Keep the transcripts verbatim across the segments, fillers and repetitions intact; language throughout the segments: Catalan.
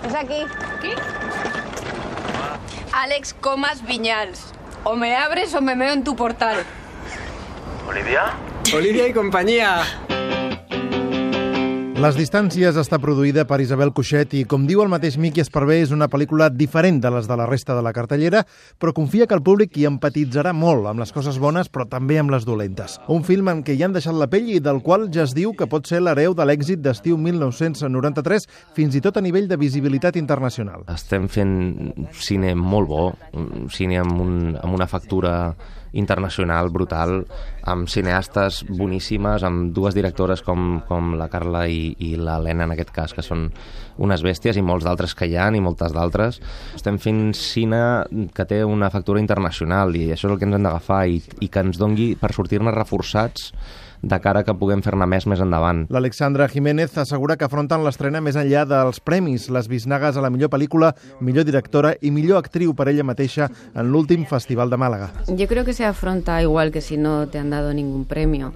Es aquí. ¿Aquí? Àlex Comas Viñals. O me abres o me meo en tu portal. Olivia? Olivia i companyia. Les distàncies està produïda per Isabel Cuixet i, com diu el mateix Miqui Esparvé, és una pel·lícula diferent de les de la resta de la cartellera, però confia que el públic hi empatitzarà molt amb les coses bones, però també amb les dolentes. Un film en què hi han deixat la pell i del qual ja es diu que pot ser l'hereu de l'èxit d'estiu mil nou-cents noranta-tres, fins i tot a nivell de visibilitat internacional. Estem fent cine molt bo, cine amb, un, amb una factura internacional brutal, amb cineastes boníssimes, amb dues directores com, com la Carla i, i l'Helena, en aquest cas, que són unes bèsties, i molts d'altres que hi ha, i moltes d'altres. Estem fent cine que té una factura internacional, i això és el que ens hem d'agafar, i, i que ens dongui per sortir-ne reforçats de cara que puguem fer-ne més més endavant. L'Alexandra Jiménez assegura que afronten l'estrena més enllà dels premis, les bisnagues a la millor pel·lícula, millor directora i millor actriu per ella mateixa en l'últim Festival de Màlaga. Yo creo que se afronta igual que si no te han dado ningún premio.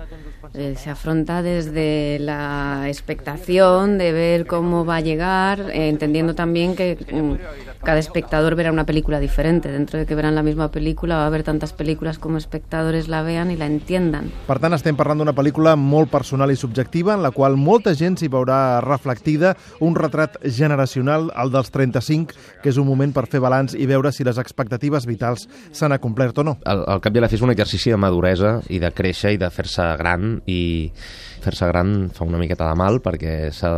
Eh, se afronta desde la expectación de ver cómo va a llegar, eh, entendiendo también que mm, cada espectador verá una película diferente. Dentro de que verán la misma película, va a haver tantas películas como espectadores la vean y la entiendan. Per tant, estem parlant d'una pel·lícula molt personal i subjectiva, en la qual molta gent s'hi veurà reflectida, un retrat generacional, el dels trenta-cinc, que és un moment per fer balanç i veure si les expectatives vitals s'han acomplert o no. Al, al cap i a la fi és un exercici de maduresa i de créixer i de fer-se gran, i fer-se gran fa una miqueta de mal perquè s'ha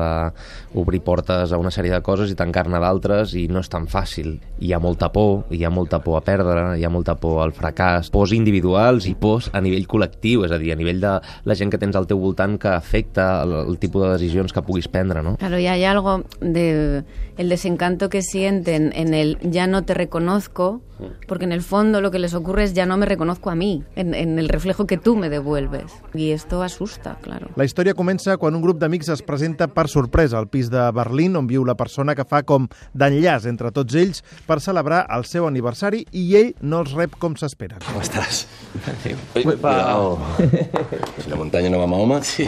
d'obrir portes a una sèrie de coses i tancar-ne d'altres, i no és tan fàcil. Hi ha molta por, hi ha molta por a perdre, hi ha molta por al fracàs, pors individuals i pors a nivell col·lectiu, és a dir, a nivell de la gent que tens al teu voltant que afecta el, el tipus de decisions que puguis prendre, ¿no? Claro, y hay algo de el desencanto que sienten en el ya no te reconozco, porque en el fondo lo que les ocurre es ya no me reconozco a mí, en, en el reflejo que tú me devuelves. Y esto asusta, claro. La història comença quan un grup d'amics es presenta per sorpresa al pis de Berlín, on viu la persona que fa com d'enllaç entre tots ells per celebrar el seu aniversari, i ell no els rep com s'espera. ¿Cómo estás? Uy, cuidado. Si la muntanya no va a Mahoma. Sí.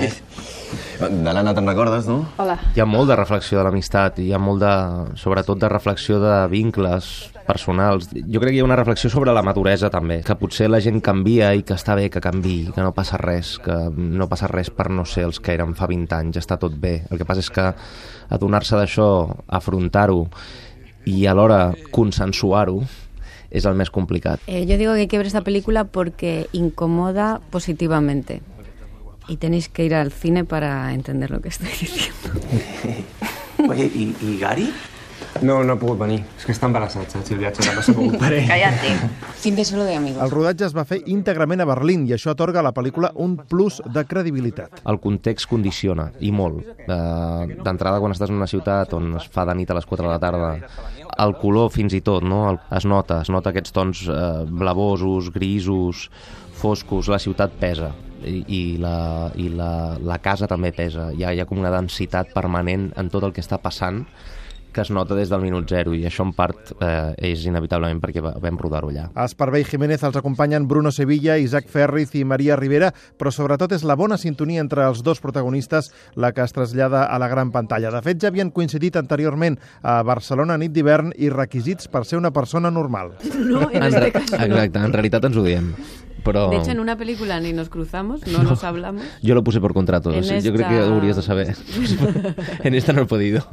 De l'Anna te'n recordes, no? Hola. Hi ha molt de reflexió de l'amistat, hi ha molt de, sobretot de reflexió de vincles personals. Jo crec que hi ha una reflexió sobre la maduresa també, que potser la gent canvia i que està bé que canviï, que no passa res, que no passa res per no ser els que érem fa vint anys, està tot bé. El que passa és que adonar-se d'això, afrontar-ho i alhora consensuar-ho és el més complicat. Eh, yo digo que hay que ver esta película porque incomoda positivamente. Y tenéis que ir al cine para entender lo que estoy diciendo. Oye, ¿y, y Gary? No, no ha pogut venir. És que està embarassat, saps? El viatge no s'ha pogut parar. Cállate. Fin de solo de amigos. El rodatge es va fer íntegrament a Berlín i això atorga a la pel·lícula un plus de credibilitat. El context condiciona, i molt. Eh, D'entrada, quan estàs en una ciutat on es fa de nit a les quatre de la tarda, el color fins i tot, no? Es nota, es nota aquests tons eh, blavosos, grisos, foscos, la ciutat pesa. I, i, la, i la, la casa també pesa. Hi ha, hi ha com una densitat permanent en tot el que està passant que es nota des del minut zero, i això en part eh, és inevitablement perquè vam rodar-ho allà. A Esparvé i Jiménez els acompanyen Bruno Sevilla, Isaac Ferriz i Maria Rivera, però sobretot és la bona sintonia entre els dos protagonistes la que es trasllada a la gran pantalla. De fet, ja havien coincidit anteriorment a Barcelona nit d'hivern i requisits per ser una persona normal. No, en este caso no. Exacte, en realitat ens ho diem. Pero... De hecho, en una película ni nos cruzamos, no, no nos hablamos. Yo lo puse por contrato, en yo esta... creo que lo deberías de saber. En esta no he podido.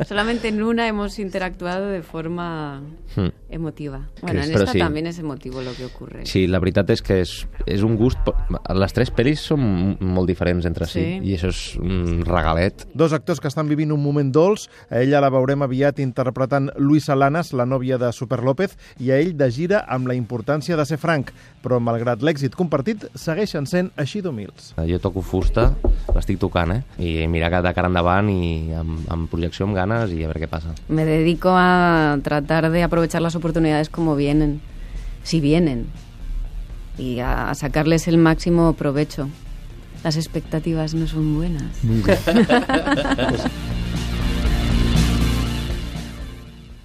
Solamente en una hemos interactuado de forma hmm. emotiva. Bueno, en Però esta sí. también es emotivo lo que ocurre. Sí, la veritat és que és, és un gust... Les tres pel·lis són molt diferents entre si, sí. I això és un regalet. Dos actors que estan vivint un moment dolç. A ella la veurem aviat interpretant Luisa Lanas, la nòvia de Super López, i a ell de gira amb la importància de ser franc, però malgrat l'èxit compartit, segueixen sent així d'humils. Jo toco fusta, l'estic tocant, eh? I mirar de cara endavant i amb, amb projecció, amb ganes, i a veure què passa. Me dedico a tratar de aprovechar las oportunidades como vienen, si vienen, y a sacarles el máximo provecho. Las expectativas no son buenas. Nunca.